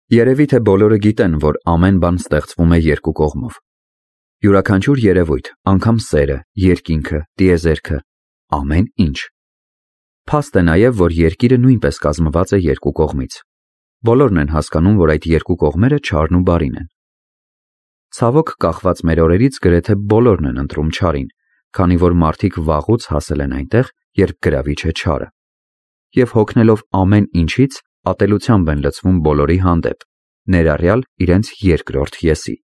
Երևի թե բոլորը գիտեն, որ ամեն բան ստեղծվում է երկու կողմով։ Յուրաքանչյուր երևույթ, անգամ սերը, երկինքը, տիեզերքը, ամեն ինչ։ Փաստ է նաև, որ երկիրը նույնպես կազմված է երկու կողմից։ Բոլորն են հասկանում, որ այդ երկու կողմերը չարն ու բարին են։ Ցավոք, կախված մեր օրերից գրեթե բոլորն են ընտրում չարին, քանի որ մարդիկ վաղուց հասել են այնտեղ, երբ գրավիչ է չարը։ Եվ հոգնելով ամեն ինչից, ատելությամբ են լցվում բոլորի հանդեպ, ներառյալ իրենց երկրորդ եսի։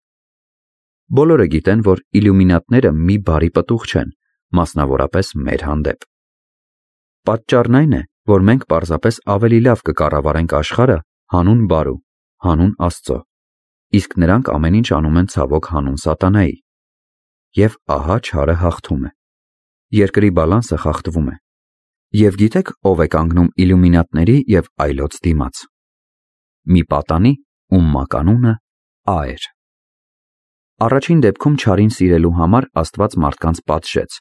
Բոլորը գիտեն, որ իլյումինատները մի բարի պտուղ չեն, մասնավորապես մեր հանդեպ։ Պատճառն այն է, որ մենք պարզապես ավելի լավ կկառավարենք աշխարհը հանուն բարու, հանուն Աստծո, իսկ նրանք ամեն ինչ անում են ցավոք հանուն սատանայի։ Եվ ահա չարը հաղթում է։ Երկրի բալանսը խախտվում է։ Եվ գիտեք ով է կանգնում իլյումինատների և այլոց դիմաց։ Մի պատանի, ում մականունը Ա էր։ Առաջին դեպքում չարին սիրելու համար Աստված մարդկանց պատժեց,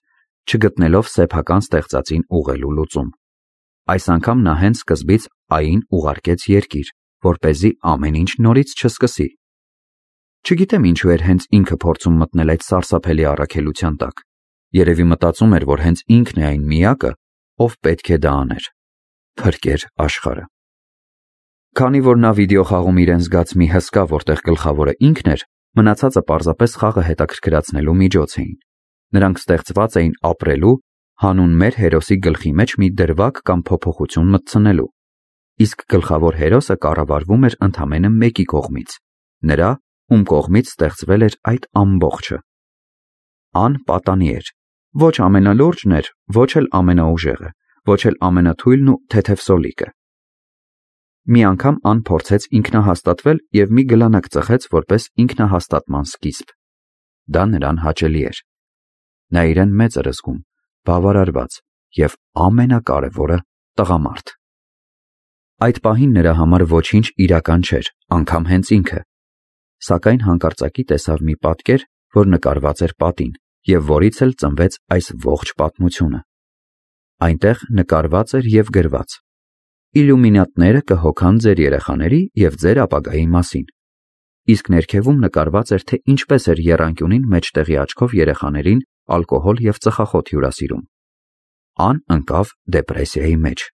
չգտնելով սեփական ստեղծածին ուղղելու լուծում։ Այս անգամ նա հենց սկզբից Ային ուղարկեց երկիր, որպեսզի ամեն ինչ նորից չսկսի։ Չգիտեմ ինչու էր հենց ինքը փորձում մտնել այդ սարսափելի առաքելության տակ։ Երևի մտածում էր, որ հենց ինքն է այն միակը, ով պետք է դա աներ։ Փրկեր աշխարհը։ Քանի որ նա վիդեո խաղում իրեն զգաց մի հսկա, որտեղ գլխավորը ինքն էր, մնացածը պարզապես խաղը հետաքրքրացնելու միջոց էին։ Նրանք ստեղծված էին ապրելու, հանուն մեր հերոսի գլխի մեջ մի դրվագ կամ փոփոխություն մտցնելու։ Իսկ գլխավոր հերոսը կառավարվում էր ընդամենը մեկի կողմից, նրա, ում կողմից ստեղծվել էր այդ ամբողջը։ Ան պատանի էր, ոչ ամենալուրջն էր, ոչ էլ ամենաուժեղը, ոչ էլ ամենաթույլն ու թեթև սոլիկը։ Մի անգամ Ան փորձեց ինքնահաստատվել և մի գլանակ ծխեց որպես ինքնահաստատման սկիզբ։ Դա նրան հաճելի էր։ Նա իրեն մեծ էր զգում, բավարարված և ամենակարևորը տղամարդ։ Այդ պահին նրա համար ոչինչ իրական չէր, անգամ հենց ինքը։ Սակայն հանկարծակի տեսավ մի պատկեր, որ նկարված էր պատին, և որից էլ ծնվեց այս ողջ պատմությունը։ Այնտեղ նկարված էր և գրված. Իլյումինատները կհոգան ձեր երեխաների և ձեր ապագայի մասին։ Իսկ ներքևում նկարված էր, թե ինչպես էր եռանկյունին մեջտեղի աչքով երեխաներին ալկոհոլ և ծխախոտ հյուրասիրում։ Ան ընկավ դեպրեսիայի մեջ։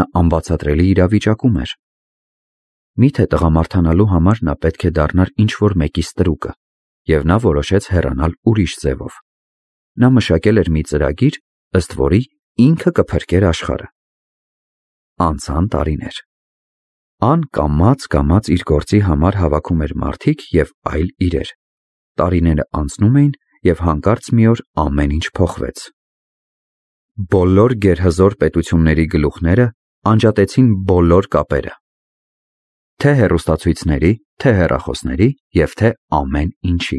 Նա անբացատրելի իրավիճակում էր։ Միթե տղամարդանալու համար նա պետք է դառնար ինչ-որ մեկի ստրուկը, և նա որոշեց հեռանալ ուրիշ ձևով։ Նա մշակել էր մի ծրագիր, ըստ որի ինքը կփրկեր աշխարհը։ Անցան տարիներ։ Ան կամաց իր գործի համար հավաքում էր մարդիկ և այլ իրեր։ Տարիները անցնում էին, և հանկարծ մի օր ամեն ինչ փոխվեց։ Բոլոր գերհզոր պետությունների գլուխները անջատեցին բոլոր կապերը։ Թե հեռուստացույցների, թե հեռախոսների և թե ամեն ինչի։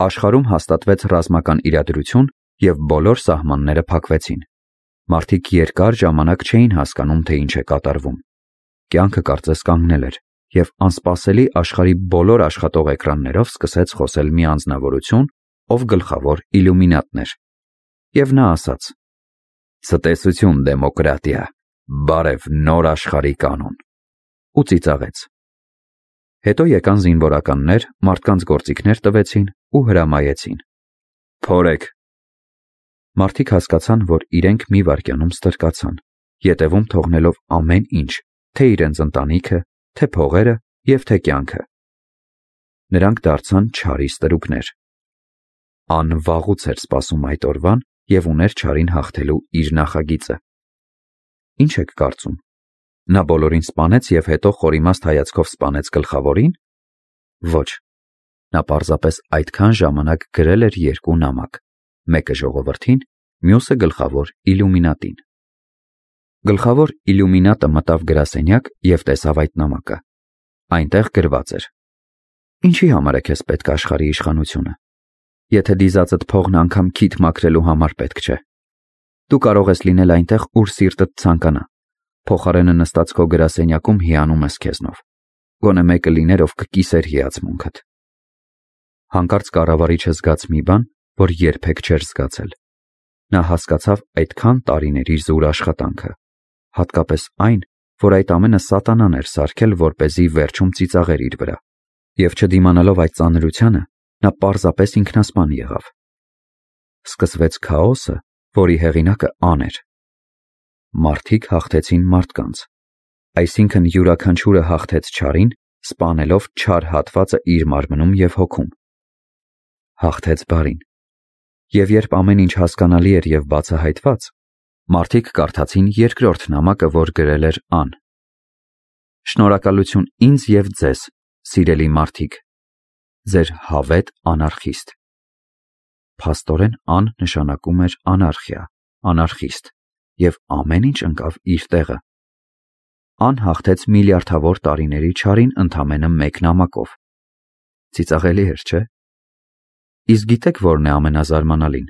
Աշխարհում հաստատվեց ռազմական իրադրություն և բոլոր սահմանները փակվեցին։ Մարդիկ երկար ժամանակ չէին հասկանում, թե ինչ է կատարվում։ Կյանքը կարծես կանգնել էր, և անսպասելի աշխարհի բոլոր աշխատող էկրաններով սկսեց խոսել մի անձնավորություն, ով գլխավոր իլյումինատն էր։ Եվ նա ասաց. «Ցտեսություն, դեմոկրատիա, բարև նոր աշխարհի կանոն», ու ծիծաղեց։ Հետո եկան զինվորականներ, մարդկանց գործիքներ տվեցին ու հրամայեցին. «Փորեք»։ Մարդիկ հասկացան, որ իրենք մի վայրկյանում ստրկացան, ետևում թողնելով ամեն ինչ, թե իրենց ընտանիքը, թե փողերը և թե կյանքը։ Նրանք դարձան չարի ստրուկներ։ Ան վաղուց էր սպասում այդ օրվան և ուներ չարին հաղթելու իր նախագիծը։ Ինչ եք կարծում։ Նա բոլորին սպանեց և հետո խորիմաստ հայացքով սպանեց գլխավորին։ Ոչ։ Նա պարզապես այդքան ժամանակ գրել էր երկու նամակ, մեկը ժողովրդին, մյուսը գլխավոր իլյումինատին։ Գլխավոր իլյումինատը մտավ գրասենյակ և տեսավ այդ նամակը։ Այնտեղ գրված էր. «Ինչի համար է քեզ պետք աշխարհի իշխանությունը, եթե դիզածդ փողն անգամ քիթ մաքրելու համար պետք չէ։ Դու կարող ես լինել այնտեղ, ուր սիրտդ ցանկանա, փոխարենը նստած քո գրասենյակում հիանում ես քեզնով։ Գոնե մեկը լիներ, ով կկիսեր հիացմունքդ»։ Հանկարծ կառավարիչը զգաց մի բան, որ երբեք չէր զգացել։ Նա հասկացավ այդքան տարիների զուր աշխատանքը, հատկապես այն, որ այդ ամենը սատանան էր սարքել, որպեսզի վերջում ծիծաղեր իր վրա, և չդիմանալով այդ ծանրությանը, նա պարզապես ինքնասպան եղավ։ Սկսվեց քաոսը, որի հեղինակը Ան էր։ Մարդիկ հաղթեցին մարդկանց, այսինքն յուրաքանչյուրը հաղթեց չարին, սպանելով չար հատվածը իր մարմնում և հոգում։ Հաղթեց բարին։ Եվ երբ ամեն ինչ հասկանալի էր և բացահայտված, մարդիկ կարդացին երկրորդ նամակը, որ գրել էր Ան։ Շնորհակալություն ինձ և ձեզ, սիրելի մարդիկ, ձեր հավետ անարխիստ։ Փաստորեն Ան նշանակում էր անարխիա, անարխիստ, և ամեն ինչ ընկավ իր տեղը։ Ան հաղթեց միլիարդավոր տարիների չարին ընդամենը մեկ նամակով։ Ծիծաղելի էր, չէ՞։ Իսկ գիտեք որն է ամենազարմանալին,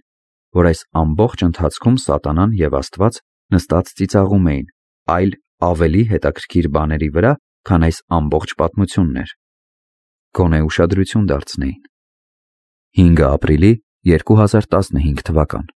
որ այս ամբողջ ընթացքում Սատանան և Աստված նստած ծիծաղում էին, այլ ավելի հետաքրքիր բաների վրա, քան այս ամբողջ պատմությունն էր։ Գոնե ուշադրություն դարձնեին։ 5 ապրիլի 2015 թվական